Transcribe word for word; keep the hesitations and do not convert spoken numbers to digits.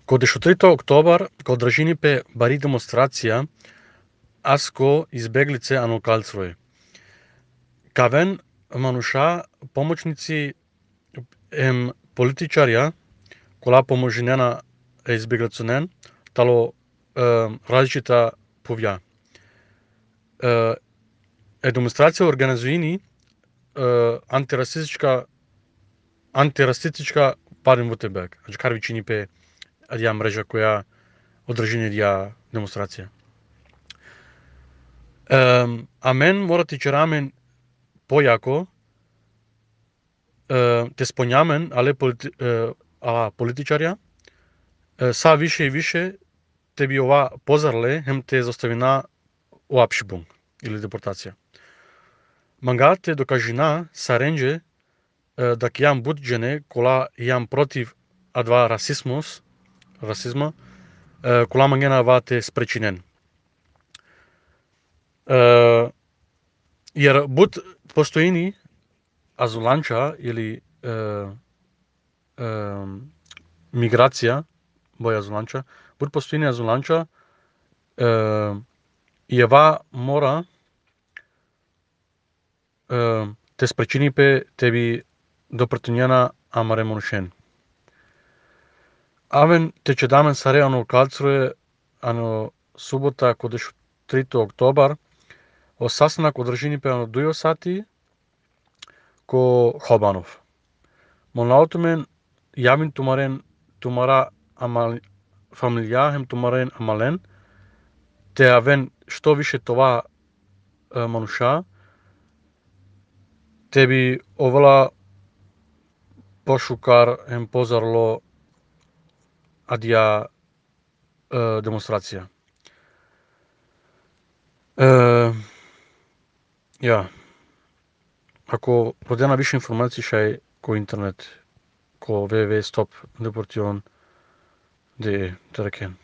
Кога десетте октобар, кога држини пе бари демонстрација, аз ко избеглице ано калцрој. Кавен мануша помочници ем политичарја, кола поможинена е избеглицонен, тало е, различита повја. Е, е демонстрација организуини е, антирасистичка антирасистичка Баден-Вуртемберг. Значи карвичини пе адја мрежа која одржини ја демонстрација. Е, а мен мора ти черамен појако е, те споњамен, але полити, е, ала политичарја, е, са више и више те би ова позарле, хем те заставина Уапшибунг или депортација. Манга те докажина са ренџе да ќе јам буџене кола јам против адва расизмус, расизма, кола мангена ва те спречинен. Јер буд постоини азуланча или е, е, миграција, боја азуланча, буд постоини азуланча, е, и ева мора е, те спречини пе те би допртуњена амаре монушен. Авен те че дамен саре ано калцруе, ано субота кодеш трите октобар, о састанак одржини пе ано дујо сати ко Хобанов. Моналото мен јавин тумарен тумара амал фамилија хем тумарен амален, те авен што више това е, мануша, те би овала пошукар хем позарло адја е, демонстрација. Е, ја. Ако продена више информации шај ко интернет, ко www точка стоп депортацион точка de, те рекен.